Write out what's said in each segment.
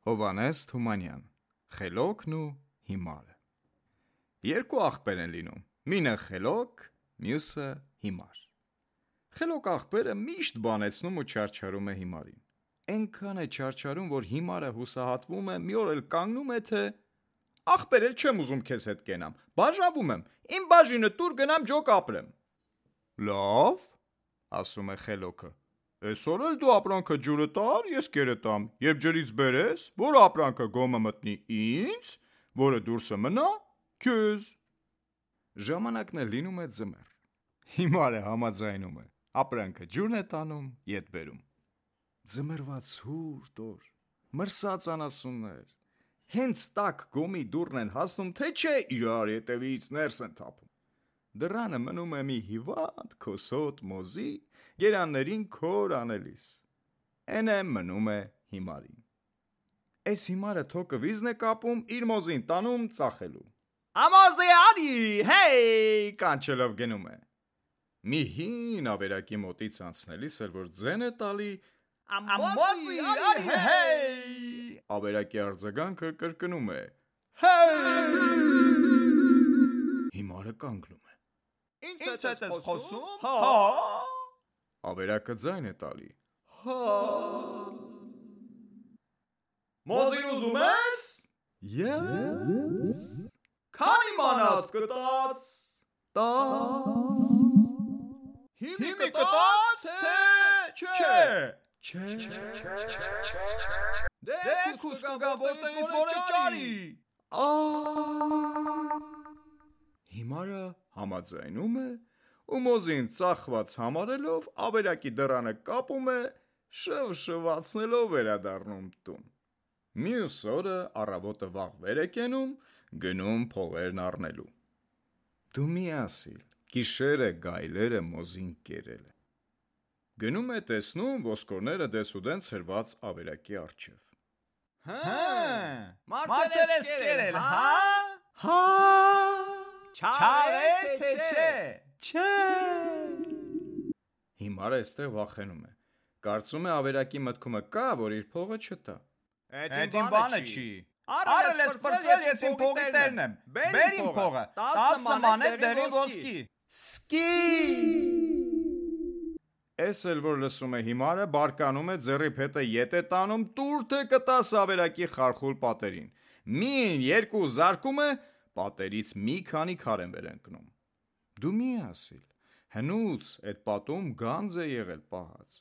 Հովհաննես Թումանյան, Խելոքն ու հիմարը։ Երկու աղբեր են լինում, մինը խելոք, մյուսը հիմար։ Խելոք աղբերը միշտ բանեցնում ու չարչարում է հիմարին։ Էնքան է չարչարում, որ հիմարը հուսահատվում է, մի օր էլ կանգնում է, թե աղբեր էլ չեմ ուզում քեզ հետ կենամ, բաժանվում եմ, իմ բաժինը տուր գնամ ջոկ ապրեմ։ Լավ, ասում է խելոքը, այսօր էլ դու ապրանքը ջուրը տար, ես կերը տամ, երբ ջրից բերես, որ ապրանքը գոմը մտնի ինձ, որը դուրսը մնա քեզ։ Ժամանակն է լինում է ձմեռ։ Հիմարը համաձայնում է, ապրանքը ջուրն է տանում, ետ բերում։ Ձմեռվա ցուրտ օր, մրսած անասուններ, հենց տաք գոմի դուռն են հասնում, թե չէ իրար ետևից ներս են թափում։ Դռանը մնում է մի հիվանդ քոսոտ մոզի, գերաններին քոր անելիս։ Էնե մնում է հիմարին։ Էս հիմարը թոկը վիզն է կապում, իր մոզին տանում ծախելու։ Ամոզի արի, հեյ, կանչելով գնում է։ Մի հին ավերակի մոտից անցնելիս էլ որ ձեն է տալի, ամոզի արի, հեյ, ավերակի արձագանքը կրկնում է, հեյ։ Հիմարը կանգնում է։ Ինչ հետ ես խոսում, հա։ Ավերակը ձայն է տալի, հա։ Մոզին ուզում ես։ Ես։ Քանի մանատ կտաս։ 10։ Հիմի կտաս, թե չէ։ Դե քուս կգա որտեղից որ է ճարի։ Հիմարը համաձայնում է ու մոզին ծախված համարելով ավերակի դռանը կապում է, շվշվացնելով վերադառնում տուն։ Մյուս օրը առավոտը վաղ վեր է կենում, գնում փողերն առնելու։ Դու մի ասիլ, գիշերը գայլերը մոզին կերել է։ Գնում է տեսնում ոսկորները դեսուդեն ցրված ավերակի առջև։ Մարդեր ես կերել, հա։ Չաղեր թե չէ։ Հիմարը էստեղ վախենում է։ Կարծում է ավերակի մտքումը կա, որ իր փողը չտա։ Էդ իմ բանը չի։ Արել ես պրծել, ես իմ փողի տերն եմ։ Բեր իմ փողը։ 10 մանետ դեղի ոսկի։ Սկի։ Էս էլ որ լսում է հիմարը, բարկանում է ձեռի փետը ետ է տանում, տուր թե կտաս ավերակի խարխուլ պատերին։ Մին երկու զարկում է, պատերից մի քանի քար են վեր ընկնում։ Դու մի ասիլ, հնուց այդ պատում գանձ է եղել պահած։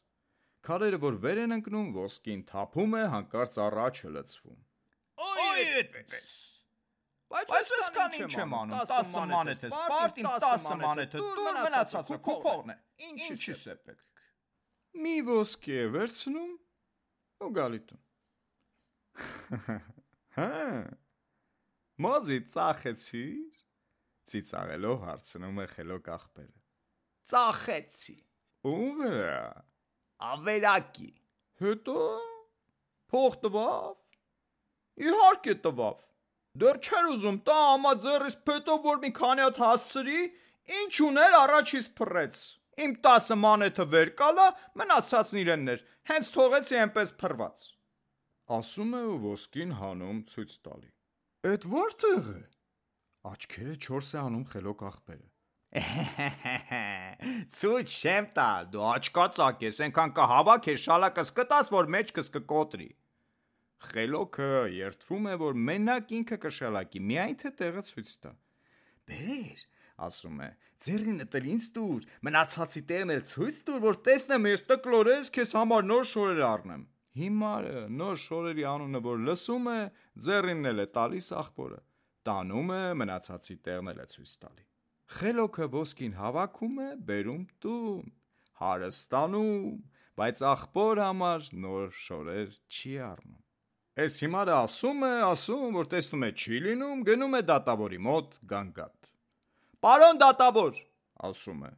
Քարերը որ վեր են ընկնում, ոսկին թափում է, հանկարծ առաջը լցվում։ Ոյ այդպես։ Բայց ես կան ինչ եմ անում, 10 մանեթ ես, պարտին 10 մանեթը, դուր մնացածը քո փողն է, ինչի՞ս է պետք։ Մի ոսկի է վերցնում ու գալի տուն։ Հա։ Մոզի ծախեցիր, ծիծաղելով հարցնում է խելոք աղբերը։ Ծախեցի։ Ում վրա։ Ավերակի։ Հետո փող տվավ։ Իհարկե տվավ։ Դեռ չէր ուզում տա ամա ձեռիս փետով որ մի քանի հատ հասցրի, ինչ ուներ առաջից փռեց։ Իմ 10 մանեթը վեր կալա, մնացածն իրեններ, հենց թողեցի այնպես փռված։ Ասում է ու ոսկին հանում ցույց տալի։ Էդ որտեղ է։ Աչքերը 4 է անում խելոք աղբերը։ Ցույց չեմ տալ, դու աչկածակ ես, այնքան կհավաքես շալակս կտաս, որ մեջքս կկոտրի։ Խելոքը երդվում է, որ մենակ ինքը կշալակի, միայն թե տեղը ցույց տա։ Բեր, ասում է, ձեռինը տրի ինձ տուր, մնացածի տեղն էլ ցույց տուր, որ տեսնեմ ես տկլորես, քեզ համար նոր շորեր առնեմ։ Հիմարը նոր շորերի անունը որ լսում է, ձեռինն էլ է տալիս աղբորը, տանում է, մնացածի տեղն էլ է ցույց տալի։ Խելոքը ոսկին հավաքում է, բերում տուն, հարստանում, բայց աղբոր համար նոր շորեր չի առնում։ Էս հիմարը ասում, որ տեսնում է չի լինում, գնում է դատավորի մոտ գանգատ։ Պարոն դատավոր, ասում է,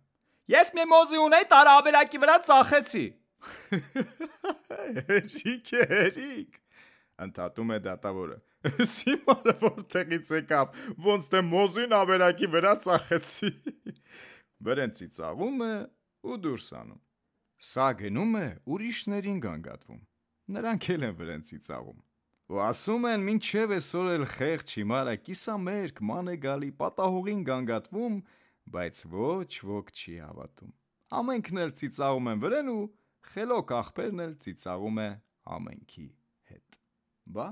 ես մի մոզի ունեի, տարա ավերակի վրա ծախեցի։ Հերիք, ընդհատում է դատավորը։ Էս հիմարը որտեղից եկավ, ոնց թե մոզին ավերակի վրա ծախեցի։ Վրեն ծիծաղում է ու դուրս անում։ Սա գնում է ուրիշներին գանգատվում։ Նրանք էլ են վրեն ծիծաղում։ ու ասում են մինչև այսօր էլ խեղճ հիմարը կիսամերկ ման է գալի, պատահողին գանգատվում, բայց ոչ ոք չի հավատում։ Ամենքն էլ ծիծաղում են վրեն ու խելոք աղբերն էլ ծիծաղում է ամենքի հետ։ Բա